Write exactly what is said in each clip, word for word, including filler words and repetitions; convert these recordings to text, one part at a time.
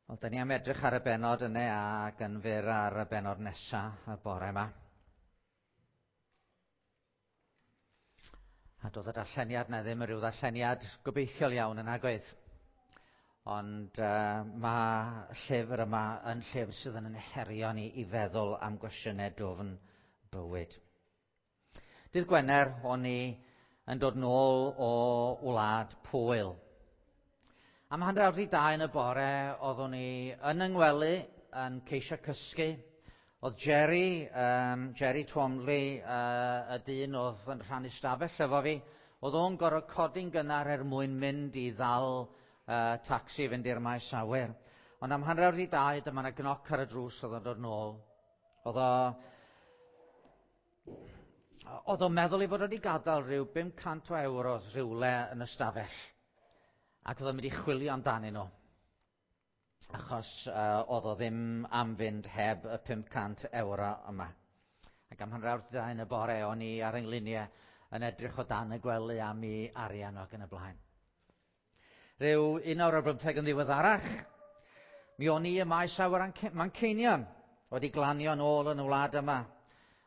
Wel, da ni am edrych ar y bennod yna ac yn fyr ar y bennod nesa y bore yma. A doedd y darlleniad na ddim yn rhyw ddarlleniad gobeithiol iawn yn agoedd. Ond uh, mae llyfr yma yn llyfr sydd yn yn herio ni i feddwl am gwestiynau dwfn bywyd. Dydd Gwener o'n i yn dod nôl o wlad Pwyl. Am hanner awr i dau yn y bore, oeddwn i yn yng ngwely yn ceisio cysgu. Oedd Jerry, um, Jerry Twomley, uh, y dyn oedd yn rhannu stafell efo fi, oedd o'n gorfod codi'n gynnar er mwyn mynd i ddal uh, tacsi i fynd i'r maes awyr. Ond am hanner awr i dau, dyma 'na gnoc ar y drws oedd o'n dod nôl. Oedd o... Oedd o'n meddwl ei fod wedi gadael rhyw bum cant o euros rhywle yn y stafell. Ac oedd o'n mynd i chwilio amdanyn nhw, achos uh, oedd o ddim am fynd heb y pum cant ewro yma. Ac am hanner awr dau yn y bore, o'n i ar 'y yn edrych o dan y gwely am i arian ac yn y blaen. Rhyw un awr ar bymtheg yn ddiweddarach, mi o'n i ym maes awyr Manceinion, wedi glanio yn ôl yn y wlad yma.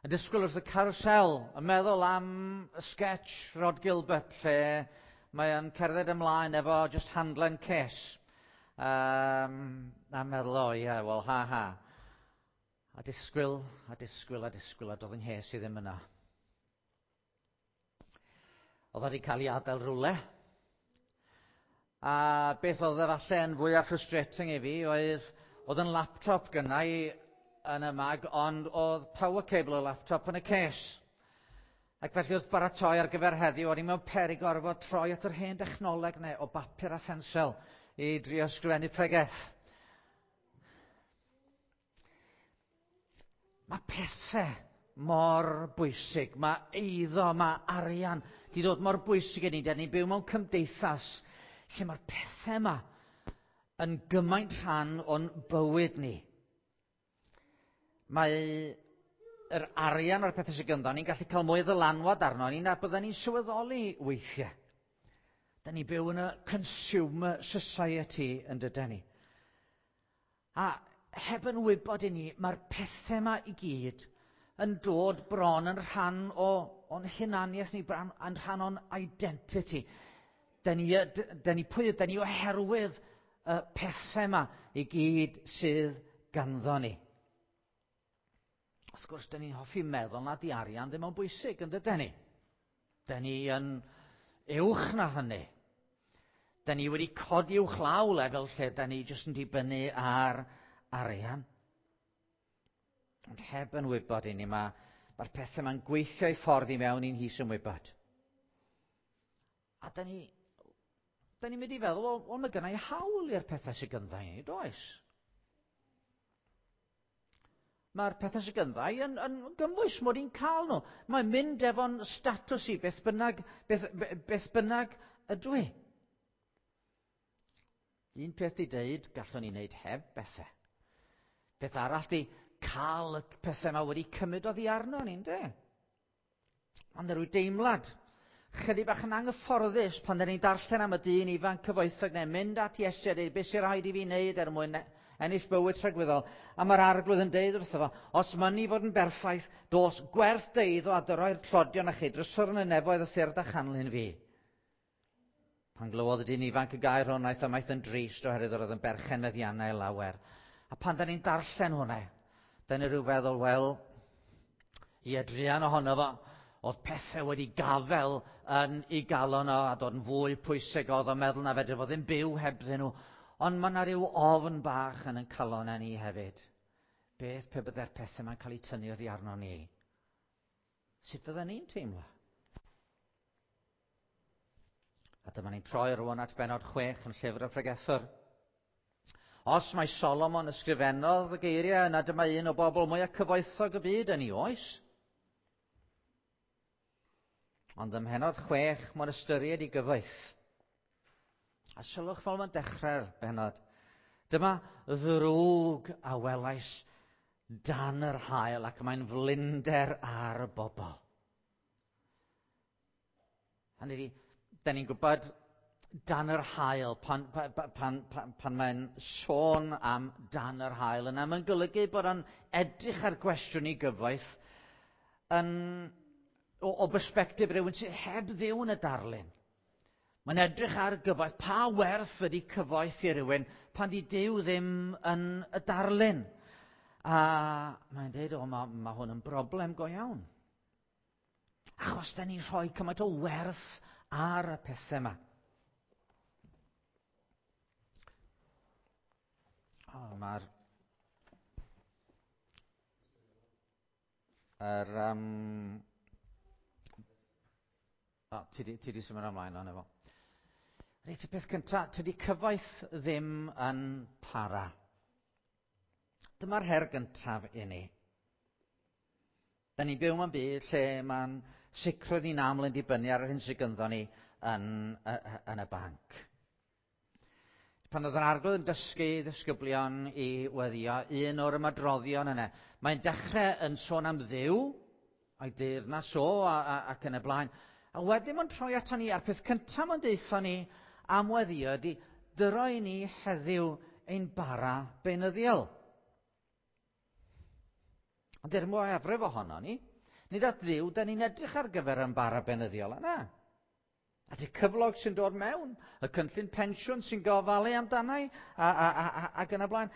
Yn disgwyl wrth y carousel, yn meddwl am y sketch Rhod Gilbert, lle mae o'n cerdded ymlaen efo just handlen case. Um, a meddwl, o ie, yeah, wel, ha ha. A disgwyl, a disgwyl, a disgwyl, a doedd yng nghes i ddim yna. Oedd wedi cael ei adael rhywle. A beth oedd efallai yn fwyaf frustrating i fi oedd, oedd yn laptop gynna i yn y mag, ond oedd power cable y laptop yn y case. Ac felly wrth baratoi ar gyfer heddiw, o'n i mewn peryg gorfod troi at yr hen dechnoleg neu o bapur a phensel i drio ysgrifennu pregeth. Mae pethau mor bwysig, mae eiddo, mae arian di dod mor bwysig i ni. Da ni'n byw mewn cymdeithas lle mae'r pethau yma yn gymaint rhan o'n bywyd ni. Mae yr arian o'r pethau sydd gynddo ni'n gallu cael mwy o ddylanwad arno ni na bydden ni'n sylweddoli weithiau. Da ni'n byw yn y consumer society yn dyden ni. A heb yn wybod i ni, mae'r pethau yma i gyd yn dod bron yn rhan o, o'n hunaniaeth ni, bron yn rhan o'n identity. Da ni, da ni pwy, da ni oherwydd y pethau yma i gyd sydd ganddo ni. Wrth gwrs, da ni'n hoffi meddwl na di arian ddim yn bwysig, yn dyden ni? Da ni yn uwch na hynny. Da ni wedi codi uwch law lefel lle da ni jyst yn dibynnu ar arian. Ond heb yn wybod i ni, mae'r ma pethau yma'n gweithio i ffordd i mewn i'n hys yn wybod. A da ni, da ni'n mynd i feddwl, wel, wel mae gynna i hawl i'r pethau sydd gynddo i ni, does? Mae'r pethau sydd gynddo i yn, yn gymwys mod i'n cael nhw. Mae'n mynd efo'n statws i, beth bynnag, beth, beth bynnag ydw i. Un peth di deud, gallwn ni wneud heb bethau. Peth arall di cael y pethau yma wedi cymryd oddi arno ni, yndê? Ond rhyw deimlad, chydig bach yn anghyfforddus pan dyn ni'n darllen am y dyn ifanc cyfoethog neu'n mynd at Iesu a dweud, beth sy'n rhaid i fi wneud er mwyn ennill bywyd tragwyddol. A mae'r arglwydd yn deud wrtho fo, os mynni fod yn berffaith, dos gwerth dy eiddo a dyroi'r tlodion a chi, drysor yn y nefoedd a tyrd a chanlyn fi. Pan glywodd y dyn ifanc y gair hwn, aeth ymaith yn drist oherwydd yr oedd yn berchen meddiannau lawer. A pan da ni'n darllen hwnna, da ni rhyw feddwl, wel, i druan ohono fo, oedd pethau wedi gafel yn ei galon o a dod yn fwy pwysig oedd o'n meddwl na fedr fo ddim byw hebddyn nhw. Ond mae yna rhyw ofn bach yn ein calon ni hefyd. Beth pe byddai'r pethau yma'n cael eu tynnu oddi arno ni? Sut fydden ni'n teimlo? A dyma ni'n troi rwan at bennod chwech yn llyfr y Pregethwr. Os mae Solomon ysgrifennodd y geiriau, yna dyma un o bobl mwyaf cyfoethog y byd yn ei oes. Ond ym mhennod chwech, mae'n ystyried ei gyfoeth. A sylwch fel mae'n dechrau'r bennod. Dyma ddrwg a welais dan yr haul ac mae'n flinder ar y bobl. Hynny ydi, da ni'n gwybod Dan yr haul, pan, pan, pan, pan, pan mae'n sôn am dan yr haul, yna mae'n golygu bod o'n edrych ar gwestiwn i gyfoeth yn, o, o bersbectif rhywun sydd heb Dduw yn y darlun. Mae'n edrych ar gyfoeth, pa werth ydy cyfoeth i rywun pan di Duw ddim yn y darlun. A mae'n dweud, o, mae, mae hwn yn broblem go iawn. Achos da ni'n rhoi cymaint o werth ar y pethau yma. O, mae'r... Yr, um... O, ti di, ti di symud ymlaen o'n efo. Reit, y peth cyntaf, tydi cyfoeth ddim yn para. Dyma'r her gyntaf i ni. Da ni'n byw mewn byd lle mae'n sicrwydd ni'n aml yn dibynnu ar yr hyn sydd gynddon ni yn, yn y banc. Pan oedd yr Arglwydd yn dysgu ddisgyblion i weddio, un o'r ymadroddion yna, mae'n dechrau yn sôn am Dduw, a'i deyrnas o, a, a, ac yn y blaen. A wedyn mae'n troi ato ni, a'r peth cyntaf mae'n deutha ni am weddio ydy, dyro i ni heddiw ein bara beunyddiol. Ond er mwyafrif ohono ni, nid at Dduw, da ni'n edrych ar gyfer ein bara beunyddiol yna. At y cyflog sy'n dod mewn, y cynllun pensiwn sy'n gofalu amdanau, a, a, a, a, ac yn y blaen.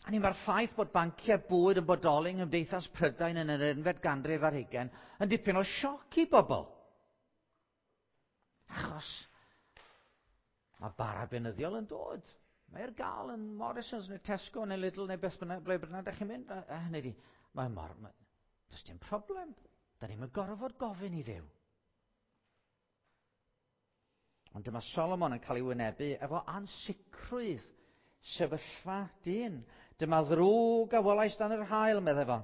A ni mae'r ffaith bod banciau bwyd yn bodoli yng Nghymdeithas Prydain yn yr unfed ganrif ar hugain yn dipyn o sioc i bobl. Achos mae bara beunyddiol yn dod. Mae ar gael yn Morrisons neu Tesco neu Lidl neu beth bynnag, ble bynnag ydych chi'n mynd. A, a hynny di, mae mor... Mae, does dim problem. Da ni'n gorfod gofyn i Dduw. Ond dyma Solomon yn cael ei wynebu efo ansicrwydd sefyllfa dyn. Dyma ddrwg a welais dan yr haul, meddai fo.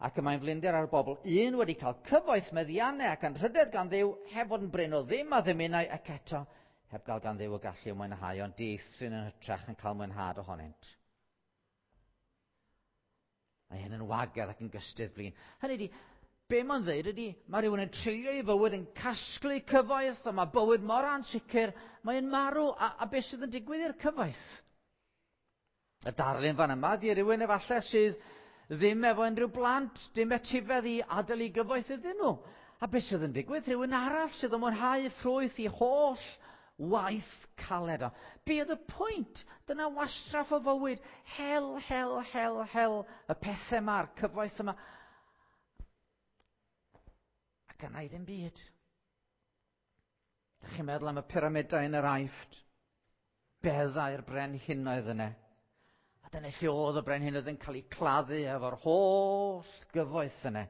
Ac y mae'n flinder ar bobl. Un wedi cael cyfoeth meddiannau ac anrhydedd gan Dduw, heb fod yn brin o ddim a ddymunai, ac eto heb gael gan Dduw y gallu o mwynhau, ond dieithryn yn hytrach yn cael mwynhad ohonynt. Mae hyn yn wagedd ac yn gystudd blin. Hynny ydi, be mae'n dweud ydy, mae rhywun yn treulio ei fywyd yn casglu cyfoeth, a mae bywyd mor ansicr, mae'n marw, a, a beth sydd yn digwydd i'r cyfoeth? Y darlun fan yma, di rhywun efallai sydd ddim efo unrhyw blant, dim etifedd i adael i gyfoeth iddyn nhw. A beth sydd yn digwydd? Rhywun arall sydd yn mwynhau ffrwyth i holl waith caled o. Be oedd y pwynt? Dyna wastraff o fywyd. Hel, hel, hel, hel, y pethau yma, a'r cyfoeth yma. Ac yna i ddim byd. Dych chi'n meddwl am y pyramidau yn yr Aifft? Beddau'r brenhinoedd yna. A dyna lle oedd y brenhinoedd yn cael eu claddu efo'r holl gyfoeth yna.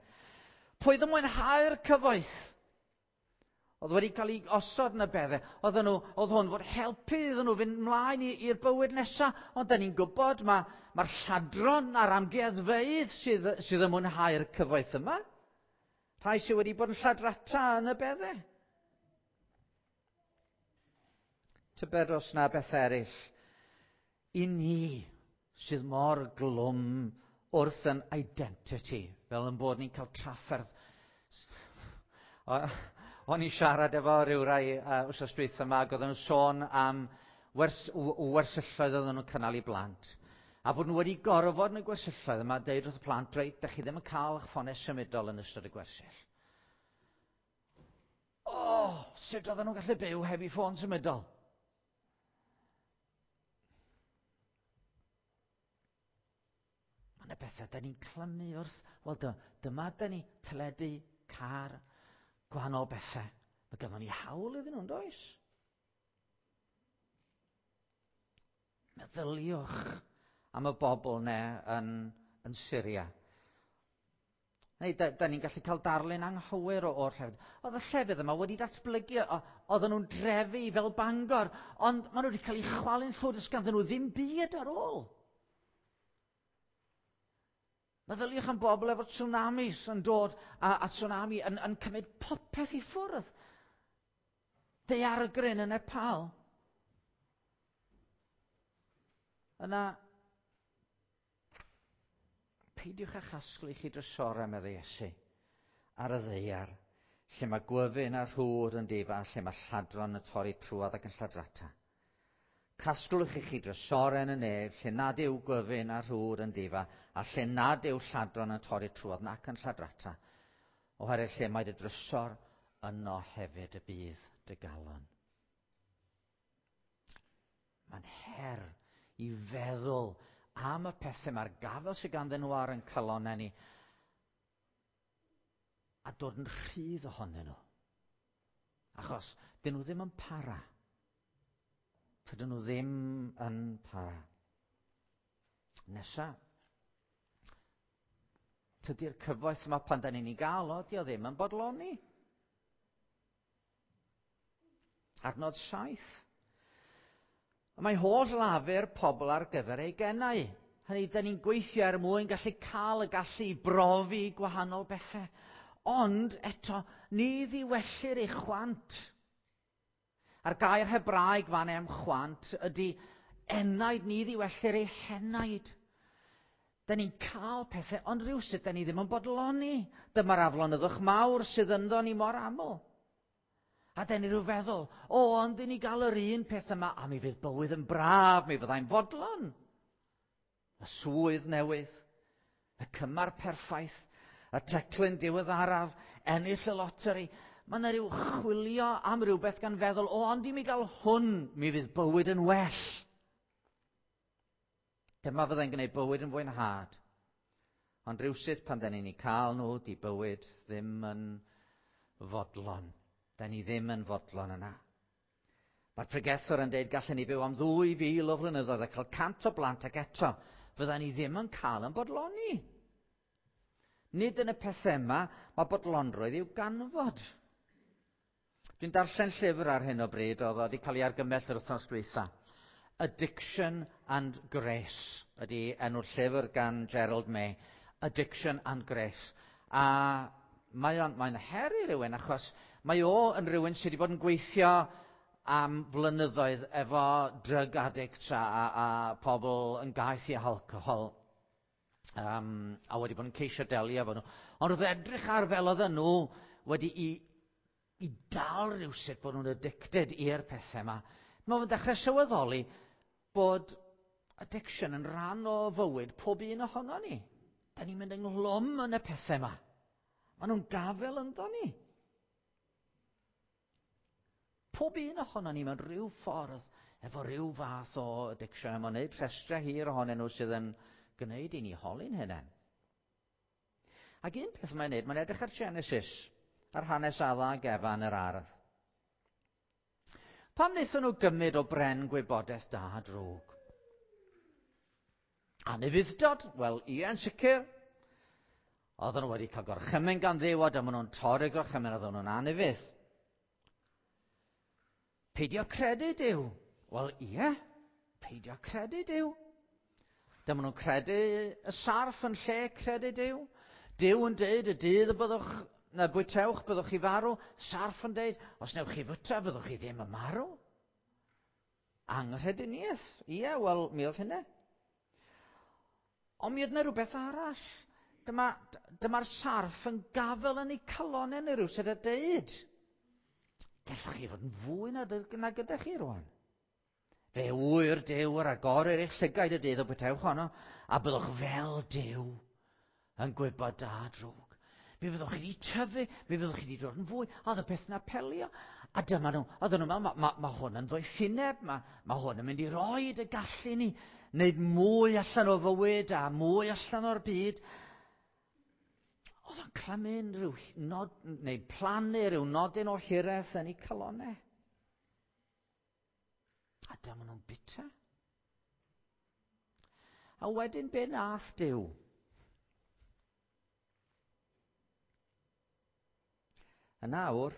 Pwy oedd yn mwynhau'r cyfoeth? Oedd wedi cael ei osod yn y beddau. Oedden nhw, oedd hwn fod helpu iddyn nhw fynd mlaen i'r bywyd nesaf. Ond da ni'n gwybod mae'r ma lladron a'r amgueddfeydd sydd, sydd yn mwynhau'r cyfoeth yma. Rhai sydd wedi bod yn lladrata yn y beddau. Tybed os na beth eraill i ni sydd mor glwm wrth yn identity, fel yn bod ni'n cael trafferth. O'n i'n siarad efo rhyw rai uh, wythnos dwytha yma, ac oedden nhw'n sôn am wers, wersylloedd oedden nhw'n cynnal i blant. A bod nhw wedi gorfod yn y gwersylloedd yma, deud wrth y plant, reit, dach chi ddim yn cael eich ffonau symudol yn ystod y gwersyll. O, oh, sut oedden nhw'n gallu byw heb eu ffôn symudol? Mae yna bethau da ni'n clymu wrth, wel dyma da ni, teledu, car, gwahanol bethau. Mae ganddo ni hawl iddyn nhw'n does? Meddyliwch am y bobl ne yn, yn Syria. Neu, da, da ni'n gallu cael darlun anghywir o'r llefydd. Oedd y llefydd yma wedi datblygu, oedden nhw'n drefu fel Bangor, ond maen nhw wedi cael eu chwalu'n llwyr, does ganddyn nhw ddim byd ar ôl. Meddyliwch am bobl efo tsunamis yn dod, a, a tsunami yn, yn cymryd popeth i ffwrdd. Daeargryn yn Nepal. Yna, peidiwch â chasglu chi drysorau, meddai Iesu, ar y ddaear, Lle mae gwyfyn a rhwr yn difa, lle mae lladron yn torri trwodd ac yn lladrata. Casglwch i chi drysorau yn y nef, lle nad yw gwyfyn a rhwr yn difa, a lle nad yw lladron yn torri trwodd nac yn lladrata. Oherwydd lle mae dy drysor, yno hefyd y bydd dy galon. Mae'n her i feddwl am y pethau mae'r gafel sydd ganddyn nhw ar yn calonnau ni a dod yn rhydd ohonyn nhw. Achos dyn nhw ddim yn para. Dydyn nhw ddim yn para. Nesa, tydi'r cyfoeth yma pan da ni'n ei gael o, di o ddim yn bodloni. Adnod saith. Mae holl lafur pobl ar gyfer ei gennau. Hynny, da ni'n gweithio er mwyn gallu cael y gallu i brofi gwahanol bethau. Ond eto, ni ddiwellir ei chwant. A'r gair Hebraeg fan am chwant ydy enaid, ni ddiwellir ei henaid. Da ni'n cael pethau, ond rhywsut da ni ddim yn bodloni. Dyma'r aflonyddwch mawr sydd ynddo ni mor aml. A da ni rhyw feddwl, o, ond i ni gael yr un peth yma, a mi fydd bywyd yn braf, mi fyddai'n fodlon. Y swydd newydd, y cymar perffaith, y teclyn diweddaraf, ennill y loteri. Mae yna rhyw chwilio am rhywbeth gan feddwl, o, ond i mi gael hwn, mi fydd bywyd yn well. Dyma fyddai'n gwneud bywyd yn fwynhad. Ond rhywsut pan da ni'n ei cael nhw, di bywyd ddim yn fodlon. Da ni ddim yn fodlon yna. Mae'r pregethwr yn dweud gallen ni byw am ddwy fil o flynyddoedd a cael cant o blant ac eto fydda ni ddim yn cael yn bodloni. Nid yn y pethau yma mae bodlonrwydd i'w ganfod. Dwi'n darllen llyfr ar hyn o bryd oedd wedi cael ei argymell yr wythnos dwytha. Addiction and Grace ydy enw'r llyfr gan Gerald May. Addiction and Grace. A mae o'n, mae'n her i rywun achos mae o yn rhywun sydd wedi bod yn gweithio am flynyddoedd efo drug addicts a, a, a pobl yn gaeth i alcohol. Um, a wedi bod yn ceisio delio efo nhw. Ond wrth edrych ar fel oedden nhw wedi i, i dal rhywsut bod nhw'n addicted i'r pethau yma. Mae fe'n dechrau sylweddoli bod addiction yn rhan o fywyd pob un ohono ni. Da ni'n mynd ynghlwm yn y pethau yma. Maen nhw'n gafel ynddo ni. Pob un ohono ni mewn rhyw ffordd efo rhyw fath o addiction. A mae'n gwneud rhestrau hir ohonyn nhw sydd yn gwneud i ni holi'n hynny. Ac un peth mae'n gwneud, mae'n edrych ar Genesis, ar hanes Adda ac Efa yn yr ardd. Pam wnaethon nhw gymryd o bren gwybodaeth da a drwg? Anufudd-dod? Wel, ie, yn sicr. Oedden nhw wedi cael gorchymyn gan Dduw, a dyma nhw'n torri gorchymyn, oedden nhw'n anufudd. Peidio credu Duw? Wel, ie, peidio credu Duw. Dyma nhw'n credu y sarff yn lle credu Duw. Duw yn deud y dydd y byddwch, na bwytewch, byddwch chi farw. Sarff yn deud, os newch chi fwyta, byddwch chi ddim yn marw. Anghrediniaeth. Ie, wel, mi oedd hynny. Ond mi oedd yna rhywbeth arall. Dyma, dyma'r sarff yn gafel yn eu calonnau neu rhywsut a deud. Gallwch chi fod yn fwy na, na gyda chi rwan. Fe ŵyr Duw yr agorir eich llygaid y dydd o bwytewch honno, a byddwch fel Duw yn gwybod da a drwg. Mi fyddwch chi wedi tyfu, mi fyddwch chi wedi dod yn fwy, a oedd y peth yna pelio. A dyma nhw, oedden nhw'n meddwl, mae ma, ma hwn yn ddoethineb, mae ma hwn yn mynd i roed y gallu ni, wneud mwy allan o fywyd a mwy allan o'r byd. Oedd o'n clymu'n rhyw nod, neu plannu rhyw nodyn o hiraeth yn eu calonnau. A dyma nhw'n bita. A wedyn be nath Duw? Yn awr,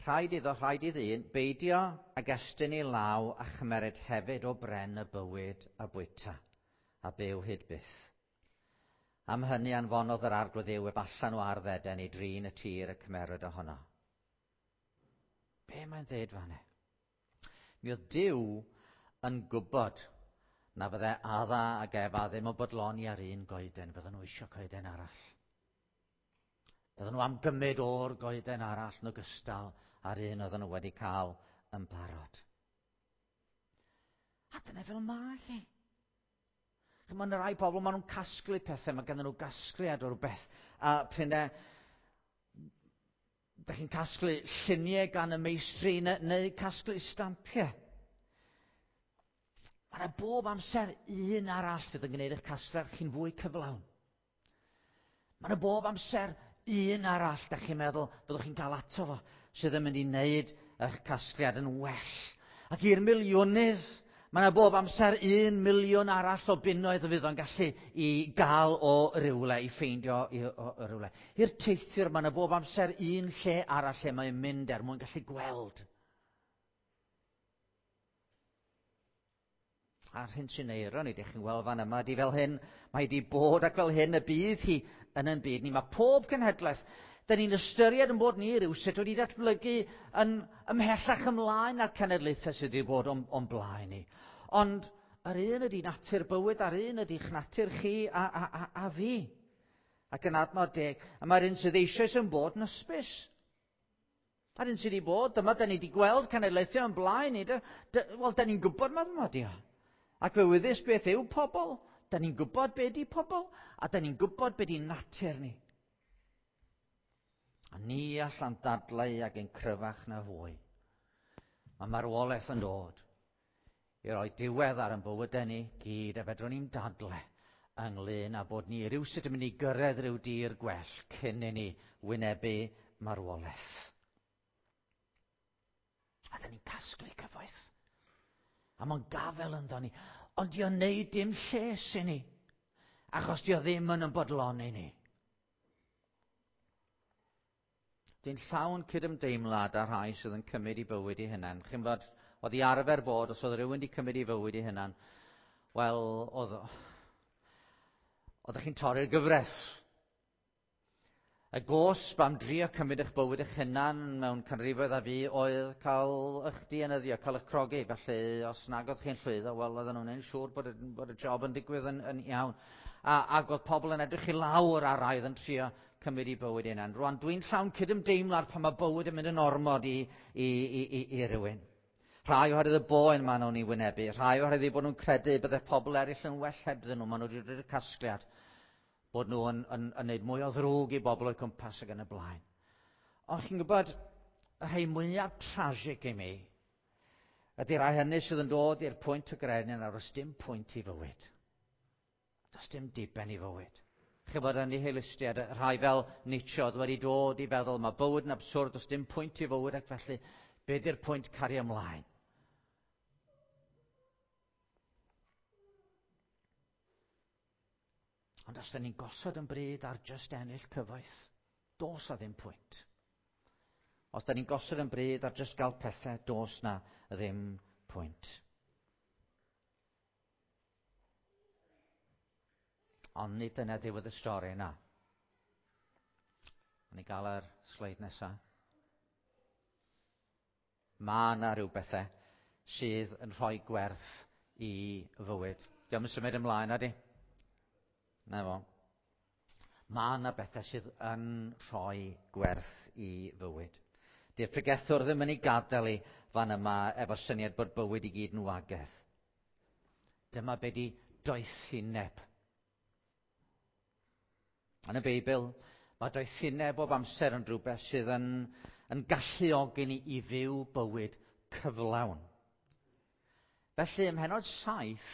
rhaid iddo, rhaid i ddyn, beidio ag estyn ei law a chymeryd hefyd o bren y bywyd a bwyta, a byw hyd byth. Am hynny anfonodd yr Arglwydd Dduw ef allan o ardd Eden i drin y tir y cymeryd ohono. Be mae'n dweud fan hyn? Mi oedd Duw yn gwybod na fydde Adda ac Efa ddim yn bodloni ar un goeden, fydden nhw eisiau coeden arall. Bydden nhw am gymryd o'r goeden arall yn ogystal â'r un oedden nhw wedi cael yn barod. A dyna fel mae hi. Mae yna rai pobl, maen nhw'n casglu pethau, mae ganddyn nhw gasgliad o rhywbeth. A prin e, da chi'n casglu lluniau gan y meistri neu, neu casglu stampiau. Mae yna bob amser un arall fydd yn gwneud eich casgliad chi'n fwy cyflawn. Mae yna bob amser un arall, da chi'n meddwl, byddwch chi'n cael ato fo, sydd yn mynd i wneud eich casgliad yn well. Ac i'r miliwnydd, mae yna bob amser un miliwn arall o bunnoedd y fydd o'n gallu i gael o rywle, i ffeindio i, o, o rywle. I'r teithiwr, mae yna bob amser un lle arall lle mae'n mynd er mwyn gallu gweld. A'r hyn sy'n eironi, ydych chi'n gweld fan yma, di fel hyn, mae di bod ac fel hyn y bydd hi yn yn byd ni. Mae pob cenhedlaeth, da ni'n ystyried yn bod ni rywsut wedi datblygu yn ymhellach ymlaen â'r cenedlaethau sydd wedi bod o'n, o'n blaen ni. Ond yr un ydy natur bywyd, a'r un ydy'ch natur chi a, a, a, a fi. Ac yn adnod deg, a mae'r un sydd eisoes yn bod yn ysbys. A'r un sydd wedi bod, dyma da ni wedi gweld cenedlaethau yn blaen ni. Wel, da ni'n gwybod ma yma di o. Ac fe wyddys beth yw pobl, da ni'n gwybod be di pobl, a da ni'n gwybod be di natur ni. A ni allan dadlau ac yn cryfach na fwy. Mae marwolaeth yn dod i roi diwedd ar ein bywydau ni gyd, a fedrwn ni'n dadlau ynglyn â bod ni rywsut yn mynd i gyrraedd rhyw dir gwell cyn i ni wynebu marwolaeth. A da ni'n casglu cyfoeth. A mae'n gafel ynddo ni. Ond di o'n neud dim lles i ni. Achos di o ddim yn ymwybodloni ni. Dwi'n llawn cydymdeimlad â rhai sydd yn cymryd i bywyd i hunan. Chi'n bod, oedd i arfer bod, os oedd rhywun wedi cymryd i fywyd i hunan, wel, oedd, oeddech chi'n torri'r gyfres. Y gosb am drio cymryd eich bywyd eich hunan mewn canrifoedd a fi oedd cael eich dienyddio, cael eich crogi. Felly, os nag oedd chi'n llwyddo, wel, oedden nhw'n siŵr bod y, bod y job yn digwydd yn, yn iawn. A, ac oedd pobl yn edrych i lawr ar rai oedd yn trio cymryd i bywyd hunan. Rwan, dwi'n llawn cydymdeimlad pan mae bywyd yn mynd yn ormod i, i, i, i, i rywun. Rhai oherwydd y boen maen nhw'n ei wynebu, rhai oherwydd eu bod nhw'n credu bydde pobl eraill yn well hebddyn nhw, maen nhw wedi dod i'r casgliad bod nhw yn, yn, yn neud mwy o ddrwg i bobl o'i cwmpas ac yn y blaen. Ond chi'n gwybod, y rhai mwyaf tragic i mi ydy rhai hynny sydd yn dod i'r pwynt o gredu nawr, does dim pwynt i fywyd. Does dim diben i fywyd. Chi'n gwybod, yn nihilistiaid, rhai fel Nietzsche oedd wedi dod i feddwl mae bywyd yn absurd, does dim pwynt i fywyd ac felly be di'r pwynt cario ymlaen? Ond os da ni'n gosod yn bryd ar just ennill cyfoeth, dos na ddim pwynt. Os da ni'n gosod yn bryd ar just gael pethau, dos na ddim pwynt. Ond nid dyna ddiwedd y stori yna. Ni gael yr sleid nesaf. Mae yna rhyw bethau sydd yn rhoi gwerth i fywyd. Diolch yn symud ymlaen, ydy? Na fo. Mae yna bethau sydd yn rhoi gwerth i fywyd. Di'r pregethwr ddim yn ei gadael i fan yma efo syniad bod bywyd i gyd yn wagedd. Dyma be di doethineb. Yn y Beibl, mae doethineb bob amser yn rhywbeth sydd yn, yn galluogi ni i fyw bywyd cyflawn. Felly, ym mhennod saith,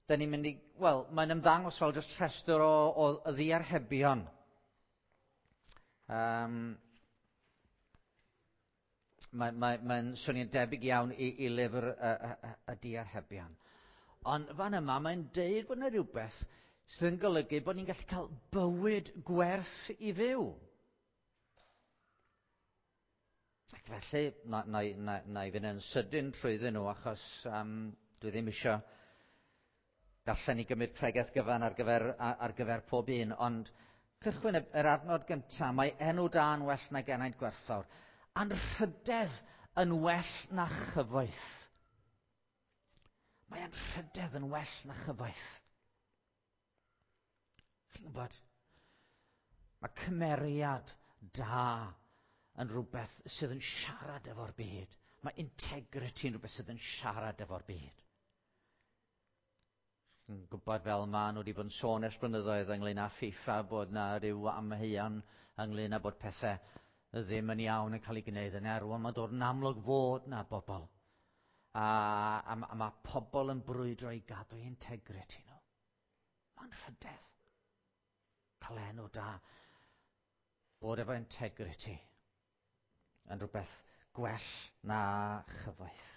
da ni'n mynd i, wel, mae'n ymddangos fel jyst rhestr o, o ddiarhebion. Um, Mae'n mae, mae swnio'n debyg iawn i, i lyfr y, y, y, y diarhebion. Ond fan yma mae'n deud bod yna rhywbeth sydd yn golygu bod ni'n gallu cael bywyd gwerth i fyw. Ac felly, na, na, na, na i fynd yn sydyn trwyddyn nhw achos um, dwi ddim eisiau darllen i gymryd pregeth gyfan ar gyfer, ar gyfer pob un, ond cychwyn yr adnod gyntaf, mae enw da yn well nag enaid gwerthfawr. Anrhydedd yn well na chyfoeth. Mae anrhydedd yn well na chyfoeth. Chi'n gwybod, Mae cymeriad da yn rhywbeth sydd yn siarad efo'r byd. Mae integrity yn rhywbeth sydd yn siarad efo'r byd. Yn gwybod fel maen nhw wedi bod yn sôn ers blynyddoedd ynglyn â FIFA bod na rhyw amheuon ynglyn â bod pethau ddim yn iawn yn cael ei gwneud yn erw, ond mae'n dod yn amlwg fod na bobl. A, a, a mae pobl yn brwydro i gadw eu integrity nhw. Mae'n rhydedd. Cael enw da. Bod efo integrity yn rhywbeth gwell na chyfoeth.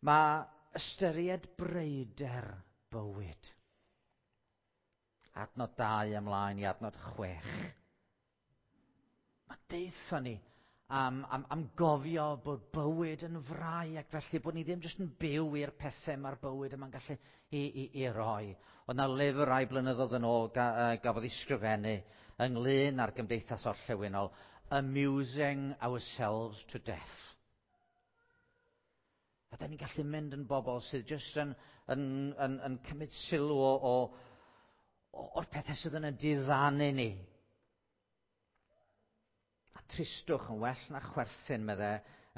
Mae ystyried breuder bywyd. Adnod dau ymlaen i adnod chwech. Mae deutha ni am, am, am gofio bod bywyd yn frau ac felly bod ni ddim jyst yn byw i'r pethau mae'r bywyd yma'n gallu i, i, i roi. Oedd na lyfr rai blynyddoedd yn ôl ga, uh, gafodd ei sgrifennu ynglyn â'r gymdeithas orllewinol, Amusing Ourselves to Death. A da ni'n gallu mynd yn bobl sydd jyst yn, yn, yn, yn cymryd sylw o, o, o'r pethau sydd yn y diddanu ni. A tristwch yn well na chwerthin, medde,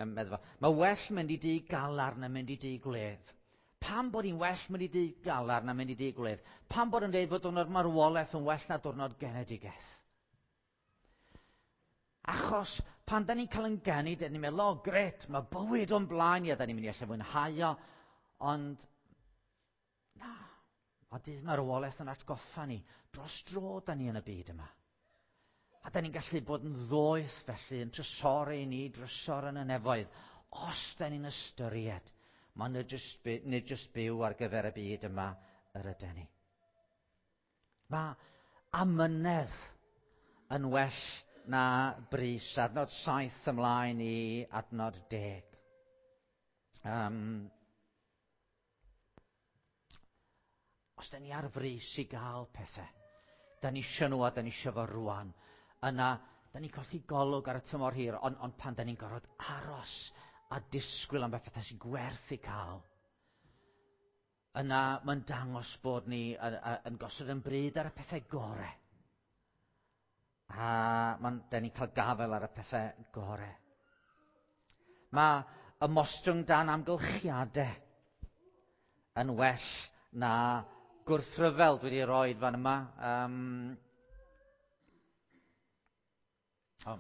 medde fo. Mae well mynd i dŷ galar na mynd i dŷ gwledd. Pam bod hi'n well mynd i dŷ galar na mynd i dŷ gwledd? Pam bod yn dweud fod diwrnod marwolaeth yn well na diwrnod genedigaeth? Achos pan da ni'n cael yn geni, da ni'n meddwl, o oh, gret, mae bywyd o'n blaen i, a da ni'n mynd i allu fwynhau o. Ond, na, mae dydd marwolaeth yn atgoffa ni. Dros dro da ni yn y byd yma. A da ni'n gallu bod yn ddoeth felly, yn trysori ni, drysor yn y nefoedd, os da ni'n ystyried, mae nid jyst, nid jyst byw ar gyfer y byd yma yr ydyn ni. Mae amynedd yn well na brys. Adnod saith ymlaen i adnod deg. Um, os da ni ar frys i gael pethau, da ni isio nhw a da ni isio fo rwan, yna da ni'n colli golwg ar y tymor hir, ond, ond pan da ni'n gorfod aros a disgwyl am bethau sy'n gwerth i cael, yna mae'n dangos bod ni yn, yn gosod yn bryd ar y pethau gorau. A mae'n, da ni'n cael gafael ar y pethau gorau. Mae ymostwng dan amgylchiadau yn well na gwrthryfel dwi wedi rhoi fan yma. Um, oh,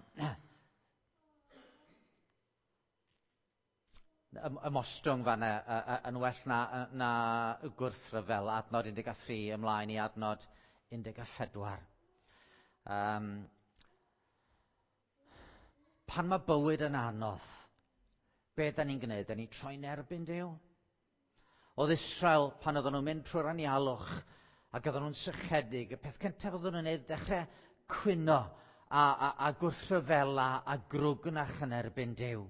ymostwng fan yna yn well na, na gwrthryfel, adnod un deg tri ymlaen i adnod un deg pedwar. Um, pan mae bywyd yn anodd, be da ni'n gwneud? Da ni'n troi'n erbyn Duw? Oedd Israel, pan oedden nhw'n mynd trwy'r anialwch ac oedden nhw'n sychedig, y peth cyntaf oedden nhw'n gwneud dechrau cwyno a, a, a gwrthryfela a grwgnach yn erbyn Duw.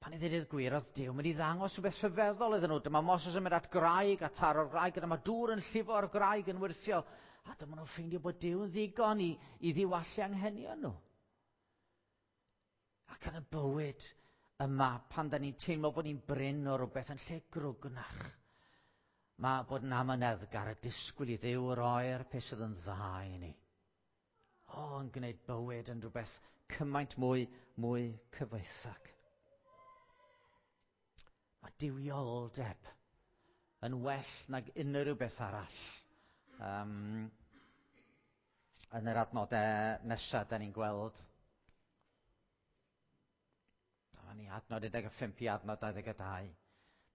Pan i ddweud gwir, oedd Duw mynd i ddangos rhywbeth rhyfeddol iddyn nhw. Dyma Moses yn mynd at graig a taro'r graig, a dyma dŵr yn llifo o'r graig yn wyrthio. A dyma nhw'n ffeindio bod Duw yn ddigon i, i ddiwallu anghenion nhw. Ac yn y bywyd yma, pan da ni'n teimlo bod ni'n brin o rhywbeth yn lle grwgnach, mae bod yn amyneddgar a disgwyl i Dduw roi'r peth sydd yn dda i ni. O, yn gwneud bywyd yn rhywbeth cymaint mwy, mwy cyfoethog. Mae duwioldeb yn well nag unrhyw beth arall. Um, yn yr adnodau nesaf, da ni'n gweld. Dyma ni adnod un deg pump i adnod dau ddeg dau.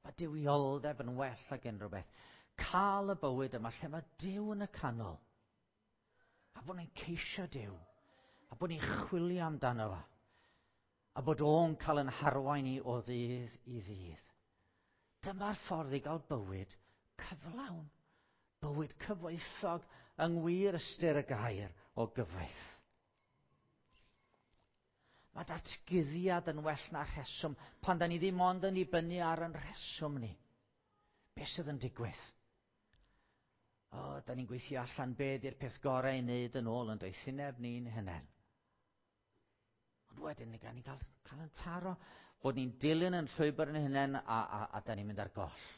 Mae duwioldeb yn well nag unrhyw beth. Cael y bywyd yma lle mae Duw yn y canol. A bod ni'n ceisio Duw. A bod ni'n chwilio amdano fo. A bod o'n cael yn harwain ni o ddydd i ddydd. Dyma'r ffordd i gael bywyd cyflawn. Bywyd cyfoethog yng ngwir ystyr y gair o gyfoeth. Mae datguddiad yn well na rheswm pan da ni ddim ond yn dibynnu ar yn rheswm ni. Be sydd yn digwydd? O, da ni'n gweithio allan be di'r peth gorau i wneud yn ôl yn doethineb ni'n hunain. Ond wedyn ni gael, ni gael, cael yn taro bod ni'n dilyn yn llwybr yn hunain a, a, a da ni'n mynd ar goll.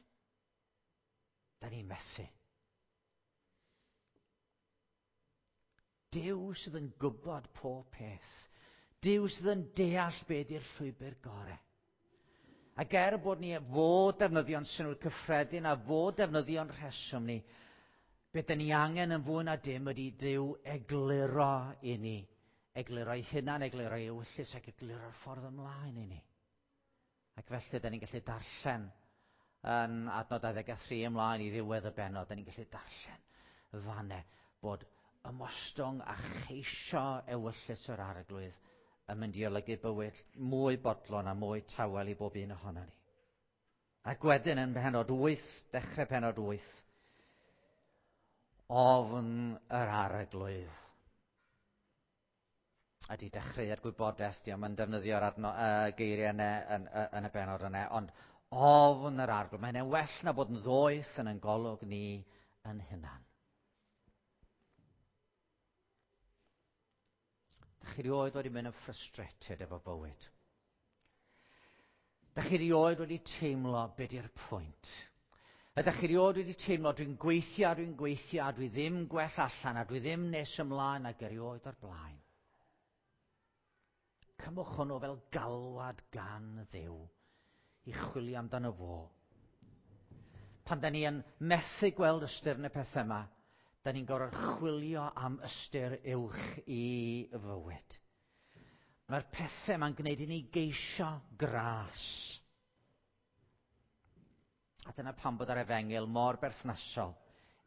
Da ni'n methu. Duw sydd yn gwybod pob peth. Duw sydd yn deall be di'r llwybr gorau. Ac er bod ni fod defnyddio'n synnwyr cyffredin a fod defnyddio'n rheswm ni, beth dyn ni angen yn fwy na dim ydy Duw egluro i ni. Egluro ei hunan, egluro ei ewyllys ac egluro'r ffordd ymlaen i ni. Ac felly, dyn ni'n gallu darllen yn adnod dau ddeg a thri ymlaen i ddiwedd y bennod, dyn ni'n gallu darllen fanne bod ymostwng a cheisio ewyllys yr Arglwydd yn mynd i olygu bywyd mwy bodlon a mwy tawel i bob un ohono ni. Ac wedyn yn pennod wyth, dechrau pennod wyth, ofn yr Arglwydd. Ydy dechreuad gwybodaeth, diolch yn defnyddio'r adno, uh, geiriau yna yn, yn y bennod yna, ond ofn yr Arglwydd. Mae hynny'n well na bod yn ddoeth yn ein golwg ni yn hunan. Dach chi rioed wedi mynd yn frustrated efo bywyd? Dach chi rioed wedi teimlo be di'r pwynt? Ydych chi rioed wedi teimlo dwi'n gweithio, dwi'n gweithio, a dwi ddim gwell allan, a dwi ddim nes ymlaen ag erioed o'r blaen? Cymwch hwnnw fel galwad gan Dduw i chwilio amdano fo. Pan da ni yn methu gweld ystyr yn y pethau yma, da ni'n gorfod chwilio am ystyr uwch i fywyd. Mae'r pethau yma'n gwneud i ni geisio gras. A dyna pam bod yr efengyl mor berthnasol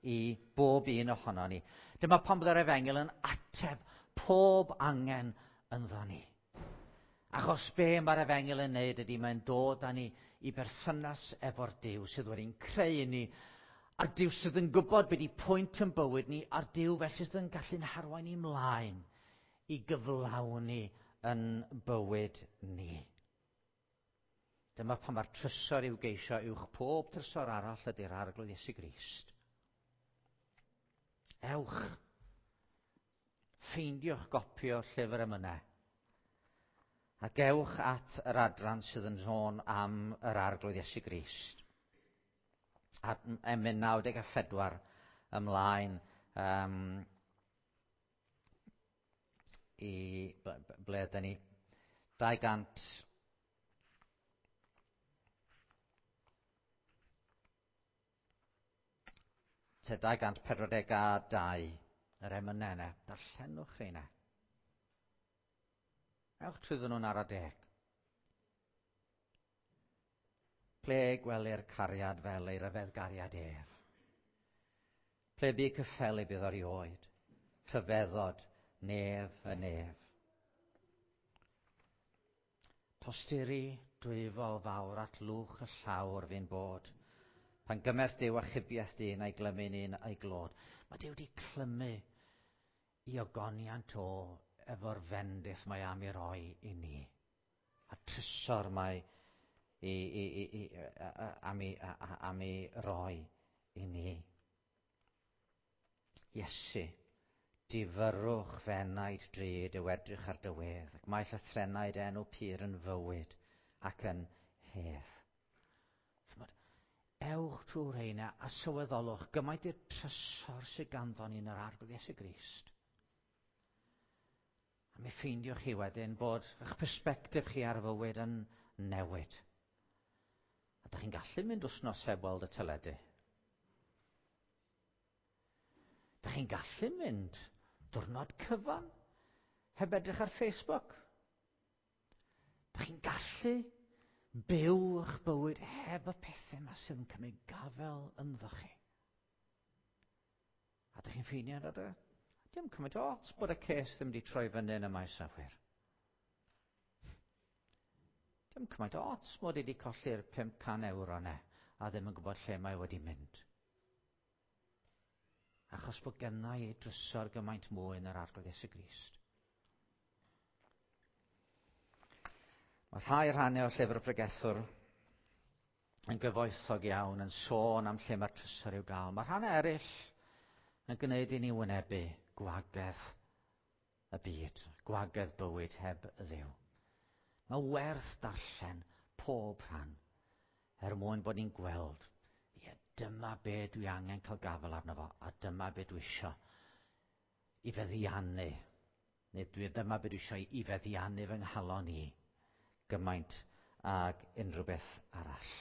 i bob un ohono ni. Dyma pam bod yr efengyl yn ateb pob angen ynddo ni. Achos be mae'r efengyl yn neud ydy mae'n dod â ni i berthynas efo'r Duw sydd wedi'n creu ni, a'r Duw sydd yn gwybod be di pwynt yn bywyd ni, a'r Duw felly sydd yn gallu'n harwain ni mlaen i gyflawni yn bywyd ni. Dyma pan mae'r trysor i'w geisio uwch pob trysor arall ydy'r Arglwydd Iesu Grist. Ewch, ffeindiwch gopi o'r llyfr emynau, ac ewch at yr adran sydd yn sôn am yr Arglwydd Iesu Grist. At emyn naw deg a phedwar ymlaen um, i ble ydyn ni? dau gant dau gant pedwar deg a dau, yr emynau yna. Darllenwch rheina. Ewch trwyddyn nhw'n ara deg. Ple gwelir cariad fel ei ryfedd gariad ef? Ple bu cyffelyb iddo erioed? Rhyfeddod nef y nef. Tosturi dwyfol fawr at lwch y llawr fi'n bod. Pan gymerth Duw achubiaeth dyn a'i glymu'n un a'i glod. Mae Duw wedi clymu i ogoniant o efo'r fendith mae am i roi i ni. A trysor mae i, i, i, i, am, i, am i roi i ni. Iesu, difyrrwch f'enaid drud yw edrych ar dy wedd, ac mae llythrennau dy enw pur yn fywyd ac yn hedd. Chymod, ewch trwy'r rheina a sylweddolwch gymaint i'r trysor sydd ganddo ni yn yr Arglwydd Iesu Grist. A mi ffeindiwch chi wedyn bod eich persbectif chi ar fywyd yn newid. A dych chi'n gallu mynd wythnos heb weld y teledu. Dych chi'n gallu mynd diwrnod cyfan heb edrych ar Facebook. Dych chi'n gallu byw eich bywyd heb y pethau yma sydd yn cymryd gafael ynddo chi. A dych chi'n ffeindio yna de? Dim cymaint o ots bod y ces ddim wedi troi fyny yn y maes awyr. Dim cymaint o ots mod i wedi colli'r pump can ewro yna a ddim yn gwybod lle mae wedi mynd. Achos bod gynna i drysor gymaint mwy yn yr Arglwydd Iesu Grist. Mae rhai rhannau o'r llyfr y pregethwr yn gyfoethog iawn, yn sôn am lle mae'r trysor i'w gael. Mae rhannau eraill yn gwneud i ni wynebu gwagedd y byd, gwagedd bywyd heb Dduw. Mae werth darllen pob rhan er mwyn bod ni'n gweld, ie, dyma be dwi angen cael gafael arno fo, a dyma be dwi isio i feddiannu. Neu dwi dyma beth dwi eisiau i feddiannu fy nghalon i gymaint ag unrhyw beth arall.